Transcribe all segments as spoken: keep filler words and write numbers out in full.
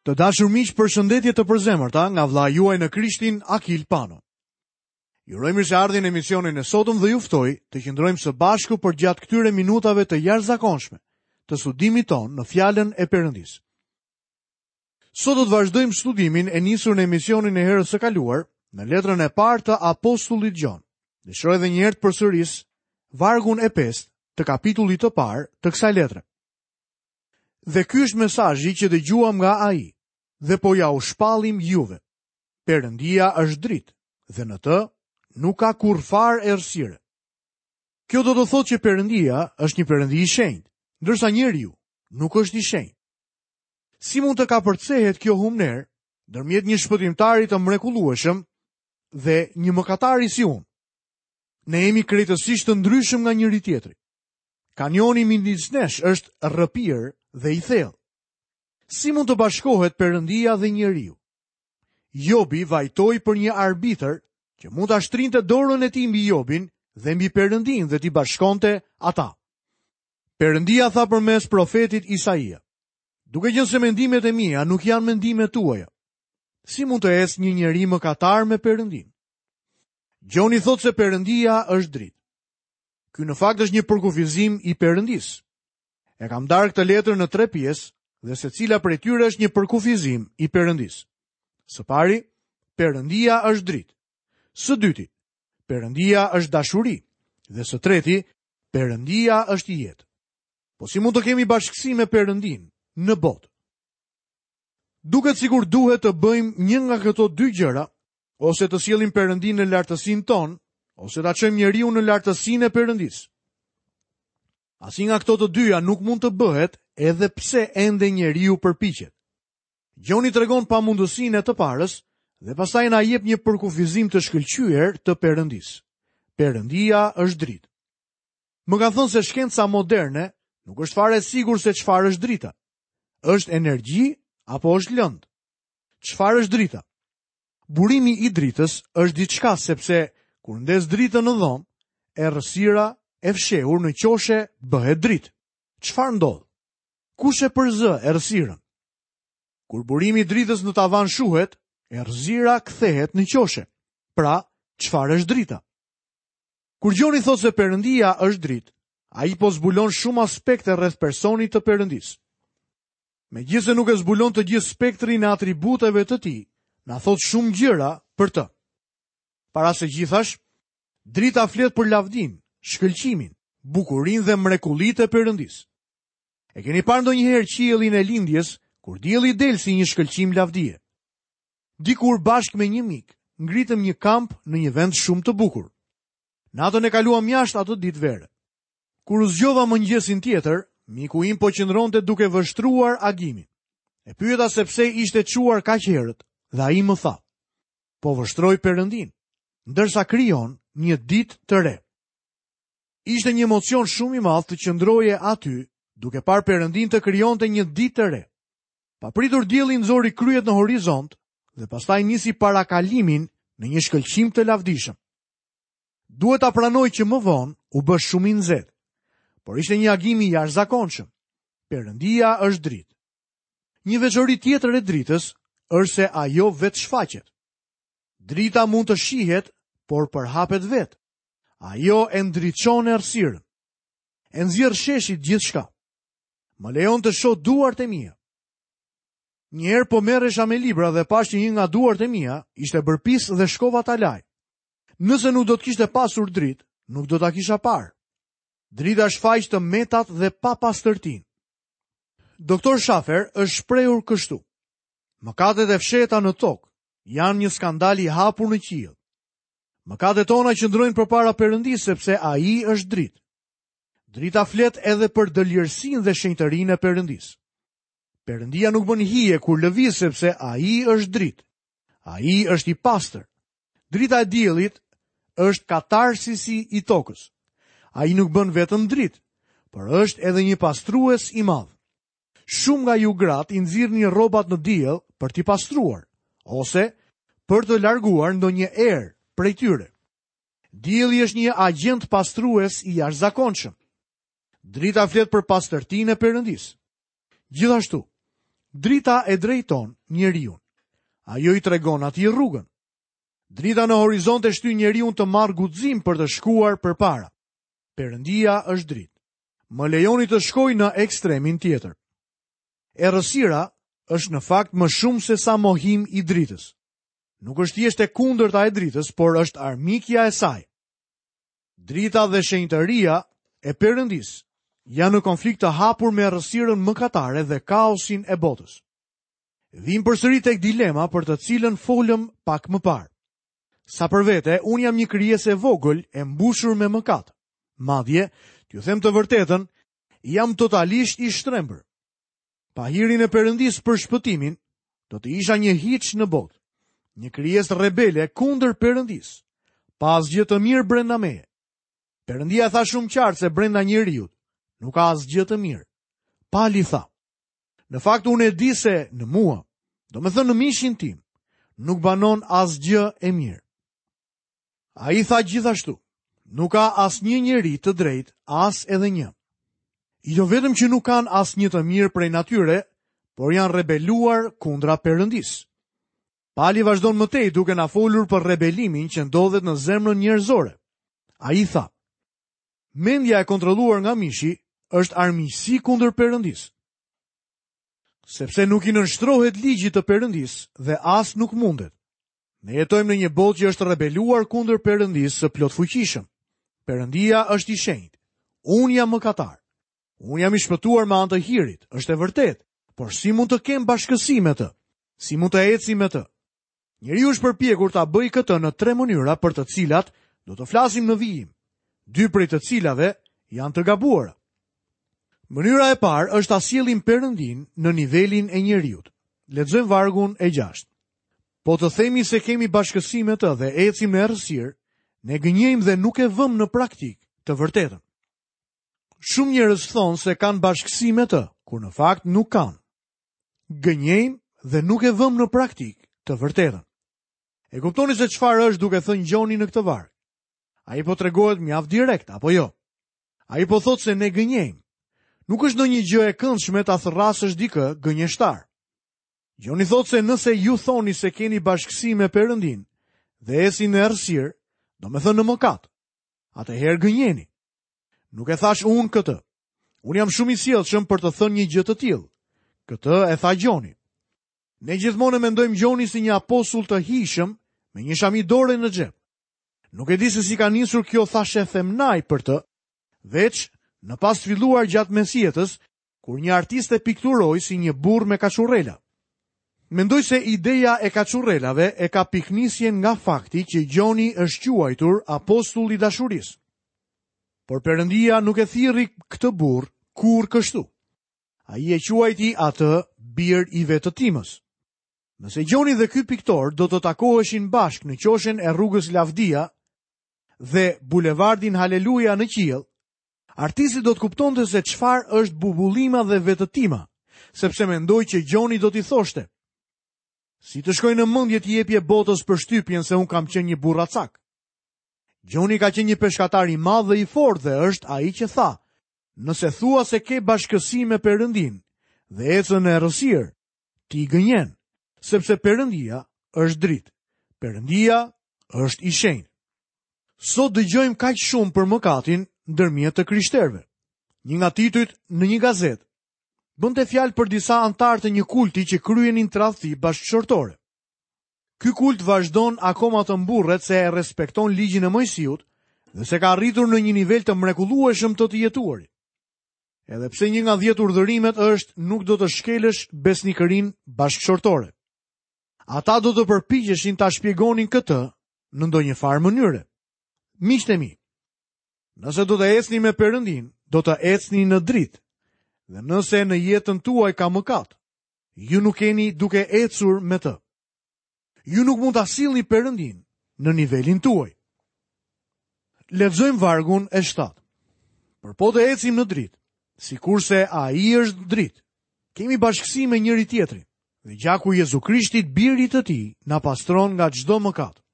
Të dashur miq, përshëndetje të përzemërta nga vëllai juaj në Krishtin, Akil Pano. Ju uroj mirëseardhjen në emisionin e sotëm dhe ju ftoj të qëndrojmë së bashku përgjatë këtyre minutave të jashtëzakonshme të studimit tonë në fjalën e Perëndisë. Sot do të vazhdojmë studimin e nisur në emisionin e herës së kaluar në letrën e parë të apostullit Gjon. Dëshiroj edhe një herë të përsëris vargun e pestë të kapitullit të parë të kësaj letre. Dhe ky është mesazhi që dëgjuam nga ai dhe po ja u shpallim juve. Perëndia është dritë dhe në të nuk ka kurrfarë errësire. Kjo do të thotë që Perëndia është një Perëndi i shenjtë, ndërsa njeriu nuk është i shenjtë. Si mund të kapërcehet kjo humnerë ndërmjet një shpëtimtari të mrekullueshëm dhe një mëkatari si unë? Ne jemi krejtësisht të ndryshëm nga njëri tjetri. Kanioni midis nesh është rrëpir dhe i thellë. Si mund të bashkohet Perëndia dhe njeriu? Jobi vajtoi për një arbitër që mund ta shtrinte dorën e tij mbi Jobin dhe mbi Perëndin dhe t'i bashkonte ata. Perëndia tha përmes profetit Isaia: Duke qenë se mendimet e mia nuk janë mendimet tuaja, si mund të ecë një njeri mëkatar me Perëndin? Gjoni thotë se Perëndia është dritë. Ky në fakt është një përkufizim i Perëndisë. E kam ndarë këtë letër në tre pjesë dhe secila prej tyre është një përkufizim i Perëndisë. Së pari, Perëndia është dritë. Së dyti, Perëndia është dashuri. Dhe së treti, Perëndia është jetë. Po si mund të kemi bashkësi me Perëndin në botë? Duket sikur duhet të bëjmë një nga këto dy gjëra, ose të sjellim Perëndin në lartësinë tonë, ose ta çojmë njeriu në lartësinë e Perëndisë. Asnjë nga këto të dyja nuk mund të bëhet edhe pse ende njeriu përpiqet. Gjoni tregon pamundësinë e të parës dhe pastaj na jep një përkufizim të shkëlqyer të Perëndisë. Perëndia është dritë. Më kanë thënë se shkenca moderne nuk është fare e sigurt se çfarë është drita. Është energji apo është lëndë? Çfarë është drita? Burimi i dritës është diçka sepse kur ndez dritën në dhomë, errësira e fshehur në qoshe bëhet dritë. Çfarë ndodh? Kush e përzë errësirën? Kur burimi i dritës në tavan shuhet, errësira kthehet në qoshe. Pra, çfarë është drita? Kur Gjoni thotë se Perëndia është dritë, ai po zbulon shumë aspekte rreth personit të Perëndisë. Megjithëse nuk e zbulon të gjithë spektrin e atributeve të tij, na thotë shumë gjëra për të. Para se gjithash, drita flet për lavdinë, shkëlqimin, bukurinë dhe mrekullitë e Perëndisë. E keni parë ndonjëherë qiellin e lindjes kur dielli del si një shkëlqim lavdie? Dikur bashkë me një mik, ngritëm një kamp në një vend shumë të bukur. Natën e kaluam jashtë atë ditë vere. Kur u zgjova mëngjesin tjetër, miku im po qëndronte duke vështruar agimin. E pyeta se pse ishte çuar kaq herët dhe ai më tha: "Po vështroj Perëndin, ndërsa krijon një ditë të re." Ishte një emocion shumë i madh të qëndroje aty, duke parë Perëndin të krijonte një ditë të re. Papritur dielli nxori kryet në horizont dhe pastaj nisi parakalimin në një shkëlqim të lavdishëm. Duhet ta pranoj që më vonë u bë shumë i nxehtë, por ishte një agim i jashtëzakonshëm. Perëndia është dritë. Një veçori tjetër e dritës është se ajo vetë shfaqet. Drita mund të shihet, por përhapet vetë. Ajo e ndriçon errësirën. E nxjerr sheshit gjithçka. Më lejon të shoh duart e mia. Një herë po merresha me libra dhe pash që një nga duart e mia ishte bërë pis dhe shkova ta laj. Nëse nuk do të kishte pasur dritë, nuk do ta kisha parë. Drita shfaq të metat dhe papastërtinë. Doktor Schafer është shprehur kështu: Mëkatet e fshehta në tokë janë një skandal i hapur në qiell. Mëkatet tona qëndrojnë përpara Perëndisë sepse ai është dritë. Drita flet edhe për dëlirësinë dhe shenjtërinë e Perëndisë. Perëndia nuk bën hije kur lëviz sepse ai është dritë. Ai është i pastër. Drita e diellit është katarsisi i tokës. Ai nuk bën vetëm dritë, por është edhe një pastrues i madh. Shumë nga ju gratë i nxirrni rrobat në diell për t'i pastruar ose për të larguar ndonjë erë prej tyre. Dielli është një agjent pastrues i jashtëzakonshëm. Drita flet për pastërtinë e Perëndisë. Gjithashtu, drita e drejton njeriun. Ajo i tregon atij rrugën. Drita në horizont e shtyn njeriun të marrë guxim për të shkuar përpara. Perëndia është dritë. Më lejoni të shkoj në ekstremin tjetër. Errësira është në fakt më shumë se sa mohim i dritës. Nuk është thjesht e kundërta e dritës, por është armikja e saj. Drita dhe shenjtëria e Perëndisë janë në konflikt të hapur me errësirën mëkatare dhe kaosin e botës. Vim përsëri tek dilema për të cilën folëm pak më parë. Sa për vete, unë jam një krijesë e vogël e mbushur me mëkat. Madje, t'ju them të vërtetën, jam totalisht i shtrembër. Pa hirin e Perëndisë për shpëtimin, do të isha një hiç në botë, një krijesë rebele kundër Perëndisë, pa asgjë të mirë brenda meje. Perëndia tha shumë qartë se brenda njeriut nuk ka asgjë të mirë. Pali tha: Në fakt unë e di se në mua, domethënë në mishin tim, nuk banon asgjë e mirë. Ai tha gjithashtu: Nuk ka asnjë njeri të drejtë, as edhe një. Jo vetëm që nuk kanë asnjë të mirë prej natyre, por janë rebeluar kundra Perëndisë. Pali vazhdon më tej duke na folur për rebelimin që ndodhet në zemrën njerëzore. Ai tha: Mendja e kontrolluar nga mishi është armiqësi kundër Perëndisë, sepse nuk i nënshtrohet ligjit të Perëndisë dhe as nuk mundet. Ne jetojmë në një botë që është rebeluar kundër Perëndisë së plotfuqishëm. Perëndia është i shenjtë. Unë jam mëkatar. Unë jam i shpëtuar me anë të hirit, është e vërtetë, por si mund të kem bashkësi me të? Si mund të eci me të? Njeriu është përpjekur ta bëjë këtë në tre mënyra për të cilat do të flasim në vijim. Dy prej të cilave janë të gabuara. Mënyra e parë është ta sjellim Perëndin në nivelin e njeriut. Lexojmë vargun e gjashtë. Po të themi se kemi bashkësi me të dhe ecim në errësirë, ne gënjejmë dhe nuk e vëmë në praktikë të vërtetën. Shumë njerëz thonë se kanë bashkësi me të, kur në fakt nuk kanë. Gënjejmë dhe nuk e vëmë në praktikë të vërtetën. E kuptoni se çfarë është duke thënë Gjoni në këtë varg? Ai po tregohet mjaft direkt, apo jo? Ai po thotë se ne gënjejmë. Nuk është ndonjë gjë e këndshme ta thërrasësh dikë gënjeshtar. Gjoni thotë se nëse ju thoni se keni bashkësi me Perëndin dhe ecni në errësirë, domethënë në mëkat, atëherë gënjeni. Nuk e thash unë këtë. Unë jam shumë i sjellshëm për të thënë një gjë të tillë. Këtë e tha Gjoni. Ne gjithmonë e mendojmë Gjoni si një apostull të hijshëm me një shami dore në xhep. Nuk e di se si ka nisur kjo thashe themnaj për të, veç në pas filluar gjatë mesjetës, kur një artist e pikturoi si një burr me kaçurrela. Mendoj se ideja e kaçurrelave e ka piknisjen nga fakti që Gjoni është quajtur apostull i dashurisë. Por Perëndia nuk e thirri këtë burr kurrë kështu. Ai e quajti atë bir i vetëtimës. Nëse Gjoni dhe ky piktor do të takoheshin bashkë në qoshen e rrugës Lavdia dhe bulevardin Haleluja në qiell, artisti do të kuptonte se çfarë është bubullima dhe vetëtima, sepse mendoi që Gjoni do t'i thoshte: Si të shkoj në mendje t'i jepje botës përshtypjen se un kam qenë një burracak. Gjoni ka qenë një peshkatar i madh dhe i fortë dhe është ai që tha: Nëse thua se ke bashkësi me Perëndin dhe ecën në errësirë, ti gënjen, sepse Perëndia është dritë. Perëndia është i shenjtë. Sot dëgjojmë kaq shumë për mëkatin ndërmjet të krishterëve. Një nga titujt në një gazetë bënte fjalë për disa anëtarë të një kulti që kryenin tradhti bashkëshortore. Ky kult vazhdon akoma të mburret se e respekton ligjin e Mojsiut dhe se ka arritur në një nivel të mrekullueshëm të të jetuarit. Edhe pse një nga dhjetë urdhërimet është nuk do të shkelësh besnikërinë bashkëshortore. Ata do të përpiqeshin ta shpjegonin këtë në ndonjë farë mënyre. Miqtë e mi, nëse do të ecni me Perëndin, do të ecni në dritë. Dhe nëse në jetën tuaj ka mëkat, ju nuk jeni duke ecur me të. Ju nuk mund ta sillni Perëndin në nivelin tuaj. Lexojmë vargun e shtatë. Por po të ecim në dritë, sikurse ai është dritë, kemi bashkësi me njëri tjetrin, dhe gjaku i Jezu Krishtit, birit të tij, na pastron nga çdo mëkat.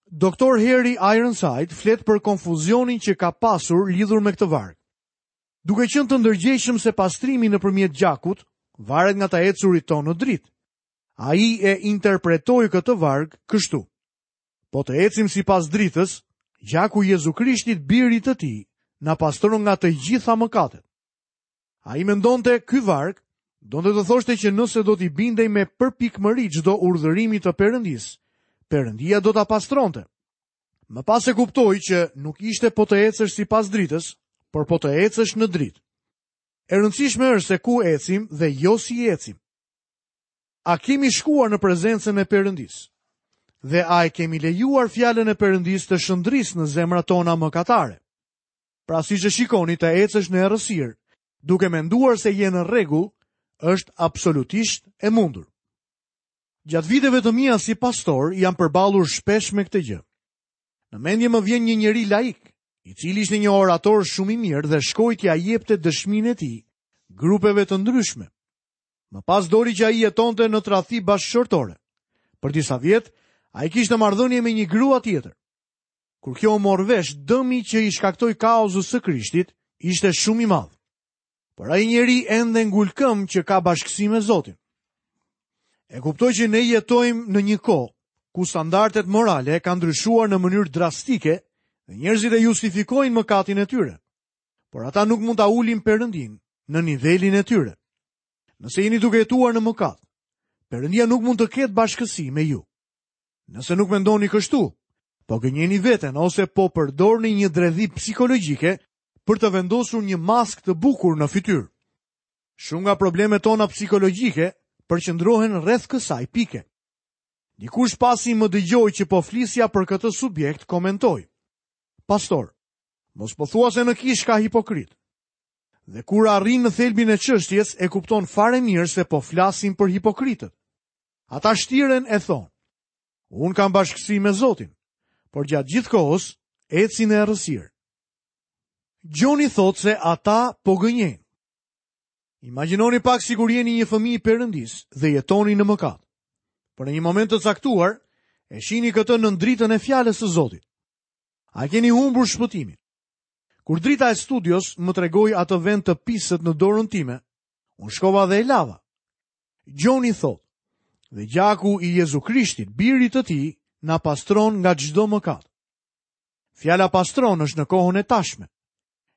Doktor Harry Ironside flet për konfuzionin që ka pasur lidhur me këtë varg. Duke qenë të ndërgjegjshëm se pastrimi nëpërmjet gjakut varet nga të ecurit tonë në dritë. Ai e interpretoi këtë varg kështu: Po të ecim sipas dritës, gjaku i Jezu Krishtit, birit të tij, na pastron nga të gjitha mëkatet. Ai mendonte ky varg donte të thoshte që nëse do t'i bindej me përpikmëri çdo urdhërimi të Perëndisë, Perëndia do ta pastronte. Më pas e kuptoi që nuk ishte po të ecësh sipas dritës, por po të ecësh në dritë. E rëndësishme është se ku ecim dhe jo si ecim. A kemi shkuar në prezencën e Perëndisë? Dhe a e kemi lejuar fjalën e Perëndisë të shndrisë në zemrat tona mëkatare? Pra siç e shikoni, të ecësh në errësirë, duke menduar se je në rregull, është absolutisht e mundur. Gjatë viteve të mia si pastor, jam përballur shpesh me këtë gjë. Në mendje më vjen një njeri laik, i cili ishte një orator shumë i mirë dhe shkoi t'ia jepte dëshminë e tij grupeve të ndryshme. Më pas doli që ai jetonte në tradhti bashkëshortore. Për disa vjet, ai kishte marrëdhënie me një grua tjetër. Kur kjo u mor vesh, dëmi që i shkaktoi kauzës së Krishtit ishte shumë i madh. Por ai njeri ende ngul këmbë që ka bashkësi me Zotin. E kuptoj që ne jetojmë në një kohë ku standardet morale kanë ndryshuar në mënyrë drastike dhe njerëzit e justifikojnë mëkatin e tyre. Por ata nuk mund ta ulin Perëndin në nivelin e tyre. Nëse jeni duke jetuar në mëkat, Perëndia nuk mund të ketë bashkësi me ju. Nëse nuk mendoni kështu, po gënjeni veten ose po përdorni një dredhi psikologjike për të vendosur një maskë të bukur në fytyrë. Shumë nga problemet tona psikologjike përqendrohen rreth kësaj pike. Dikush pasi më dëgjoi që po flisja për këtë subjekt, komentoi: Pastor, mos po thua se në kishë ka hipokrit. Dhe kur arrin në thelbin e çështjes, e kupton fare mirë se po flasim për hipokritët. Ata shtiren e thonë: Unë kam bashkësi me Zotin, por gjatë gjithë kohës ecin në errësirë. Gjoni thotë se ata po gënjejnë. Imagjinoni pak sikur jeni një fëmijë i Perëndisë dhe jetoni në mëkat. Por në një moment të caktuar, e shihni këtë në dritën e fjalës së Zotit. A keni humbur shpëtimin? Kur drita e studios më tregoi atë vend të pisët në dorën time, unë shkova dhe e lava. Gjoni thotë: Dhe gjaku i Jezu Krishtit, birit të tij, na pastron nga çdo mëkat. Fjala pastron është në kohën e tashme.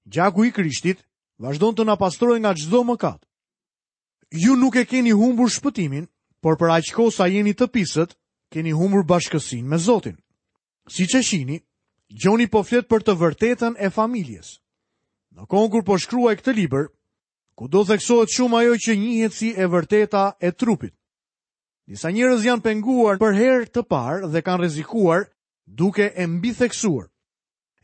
Gjaku i Krishtit vazhdon të na pastrojë nga çdo mëkat. Ju nuk e keni humbur shpëtimin, por për aq kohë sa jeni të pisët, keni humbur bashkësinë me Zotin. Siç e shihni, Gjoni po flet për të vërtetën e familjes. Në kohën kur po shkruaj këtë libër, kudo theksohet shumë ajo që njihet si e vërteta e trupit. Disa njerëz janë penguar për herë të parë dhe kanë rrezikuar duke e mbitheksuar.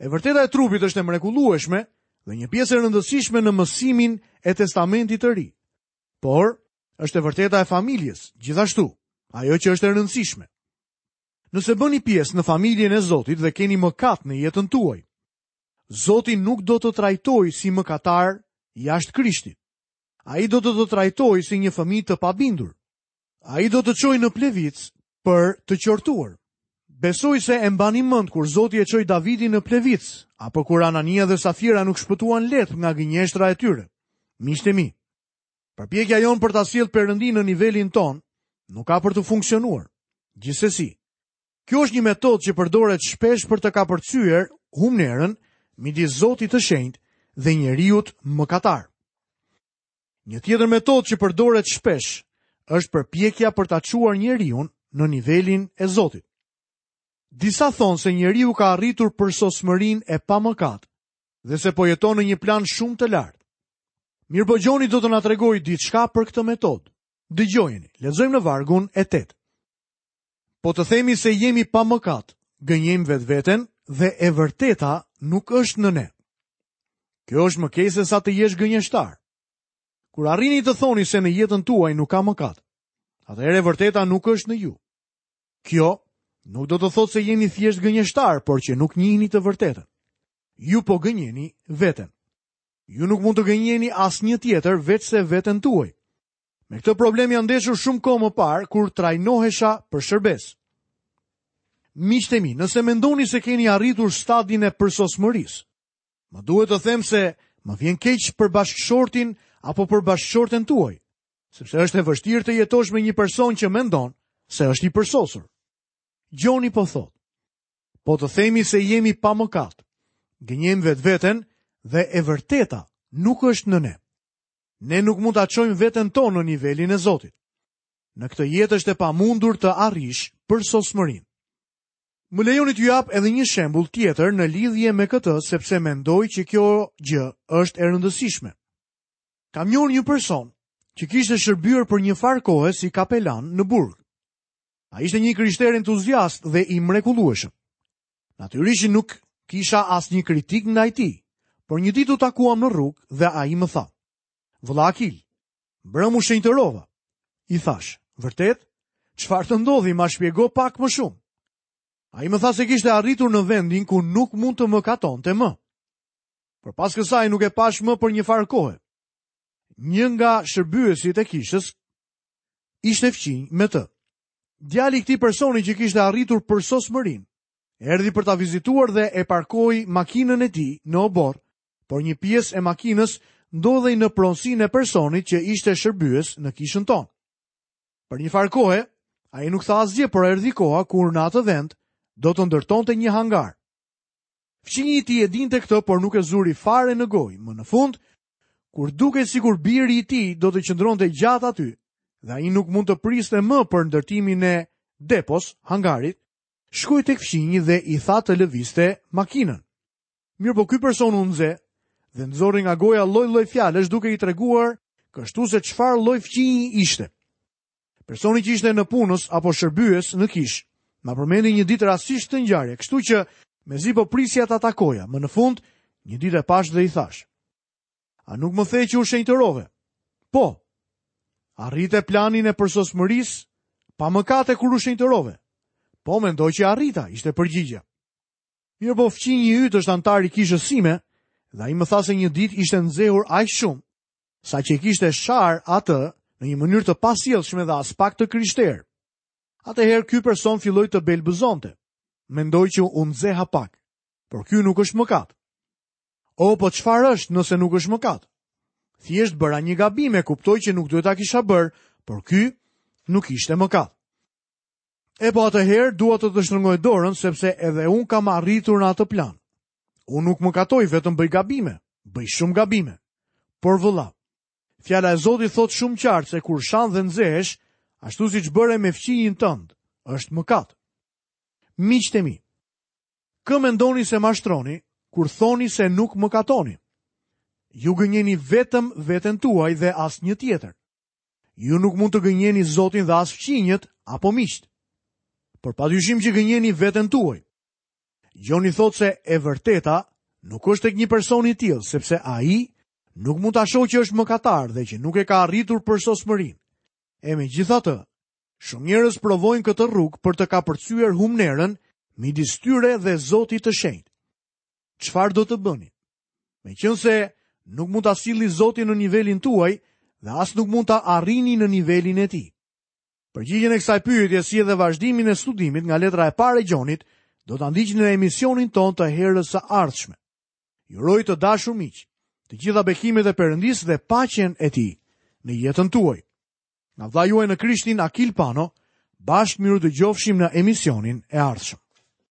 E vërteta e trupit është e mrekullueshme dhe një pjesë e rëndësishme në mësimin e Testamentit të Ri. Por është e vërteta e familjes, gjithashtu, ajo që është e rëndësishme. Nëse bëni pjesë në familjen e Zotit dhe keni mëkat në jetën tuaj, Zoti nuk do të trajtojë si mëkatar jashtë Krishtit. Ai do të të trajtojë si një fëmijë të pabindur. Ai do të çojë në plevicë për të qortuar. Besoj se e mbani mend kur Zoti e çoi Davidin në plevicë, apo kur Anania dhe Safira nuk shpëtuan lehtë nga gënjeshtra e tyre. Miqtë e mi, përpjekja jonë për ta sjellë Perëndin në nivelin ton nuk ka për të funksionuar. Gjithsesi, kjo është një metodë që përdoret shpesh për të kapërcyer humnerën midis Zotit të Shenjtë dhe njeriut mëkatar. Një tjetër metodë që përdoret shpesh është përpjekja për ta çuar njeriun në nivelin e Zotit. Disa thonë se njeriu ka arritur përsosmërinë e pamëkat dhe se po jeton në një plan shumë të lartë. Mirëpo Gjoni do të na tregojë diçka për këtë metodë. Dëgjojeni, lexojmë në vargun e tetë. Po të themi se jemi pa mëkat, gënjejmë vetveten dhe e vërteta nuk është në ne. Kjo është më keq se sa të jesh gënjeshtar. Kur arrini të thoni se në jetën tuaj nuk ka mëkat, atëherë e vërteta nuk është në ju. Kjo nuk do të thotë se jeni thjesht gënjeshtar, por që nuk njihni të vërtetën. Ju po gënjeni veten. Ju nuk mund të gënjeni asnjë tjetër veçse veten tuaj. Me këtë problem janë ndeshur shumë kohë më parë kur trajnohesha për shërbes. Miqtë e mi, nëse mendoni se keni arritur stadin e përsosmërisë, më duhet të them se më vjen keq për bashkëshortin apo për bashkëshorten tuaj, sepse është e vështirë të jetosh me një person që mendon se është i përsosur. Gjoni po thotë, po të themi se jemi pa mëkat, gënjejmë vetveten dhe e vërteta nuk është në ne. Ne nuk mund ta çojmë veten tonë në nivelin e Zotit. Në këtë jetë është e pamundur të arrish përsosmërinë. Më lejoni t'ju jap edhe një shembull tjetër në lidhje me këtë, sepse mendoj që kjo gjë është e rëndësishme. Kam njohur një person që kishte shërbyer për një farë kohe si kapelan në burg. Ai ishte një krishter entuziast dhe i mrekullueshëm. Natyrisht nuk kisha asnjë kritik ndaj tij, por një ditë u takuam në rrugë dhe ai më tha: "Vëlla Akil, mbrëm u shenjtërova." I thash: "Vërtet? Çfarë të ndodhi? Ma shpjego pak më shumë." Ai më tha se kishte arritur në vendin ku nuk mund të mëkatonte më. Por pas kësaj nuk e pash më për një farë kohe. Një nga shërbyesit e kishës ishte fqinj me të. Djali i këtij personi që kishte arritur përsosmërinë, erdhi për ta vizituar dhe e parkoi makinën e tij në oborr, por një pjesë e makinës ndodhej në pronësinë e personit që ishte shërbyes në kishën tonë. Për një farë kohe, ai nuk tha asgjë, por erdhi koha kur në atë vend do të ndërtonte një hangar. Fqinji i tij e dinte këtë, por nuk e zuri fare në gojë. Më në fund, kur dukej sikur biri i tij do të qëndronte gjatë aty, dhe ai nuk mund të priste më për ndërtimin e depos, hangarit, shkoi tek fqinji dhe i tha të lëviste makinën. Mirë, po ky person u nxe dhe nxori nga goja lloj-lloj fjalësh duke i treguar kështu se çfarë lloj fqinji ishte. Personi që ishte në punës apo shërbyes në kishë, ma përmendi një ditë rastësisht të ngjarje, kështu që mezi po prisja ta takoja. Më në fund, një ditë e pash dhe i thash: "A nuk më the që u shenjtërove?" "Po." "Arrite planin e përsosmërisë pa mëkate kur u shenjtërove?" "Po, mendoj që arrita," ishte përgjigja. Mirë, po fqinji yt është antar i kishës sime dhe ai më tha se një ditë ishte nxehur aq shumë, sa që e kishte shar atë në një mënyrë të pasjellshme dhe as pak të krishterë. Atëherë ky person filloi të belbëzonte. Mendoj që u nxeha pak, por ky nuk është mëkat. O, po çfarë është nëse nuk është mëkat? Thjesht bëra një gabim, e kuptoj që nuk duhet ta kisha bërë, por ky nuk ishte mëkat. E po atëherë dua të të shtrëngoj dorën, sepse edhe unë kam arritur në atë plan. Unë nuk mëkatoj, vetëm bëj gabime, bëj shumë gabime. Por vëlla, fjala e Zotit thotë shumë qartë se kur shan dhe nxehesh, ashtu siç bëre me fqinjin tënd, është mëkat. Miqtë e mi, kë mendoni se mashtroni kur thoni se nuk mëkatoni? Ju gënjeni vetëm veten tuaj dhe asnjë tjetër. Ju nuk mund të gënjeni Zotin dhe as fqinjët apo miqtë. Por padyshim që gënjeni veten tuaj. Gjoni thotë se e vërteta nuk është tek një person i tillë, sepse ai nuk mund ta shohë që është mëkatar dhe që nuk e ka arritur përsosmërinë. E megjithatë, shumë njerëz provojnë këtë rrugë për të kapërcyer humnerën midis tyre dhe Zotit të Shenjtë. Çfarë do të bëni? Meqense nuk mund ta sillni Zotin në nivelin tuaj dhe as nuk mund ta arrini në nivelin e tij. Përgjigjen e kësaj pyetje si edhe vazhdimin e studimit nga letra e parë e Gjonit do ta ndiqni në emisionin tonë të herës së ardhshme. Ju uroj të dashur miq, të gjitha bekimet e Perëndisë dhe paqen e tij në jetën tuaj. Nga vëllai juaj në Krishtin, Akil Pano, bashkë miru dëgjofshim në emisionin e ardhshëm.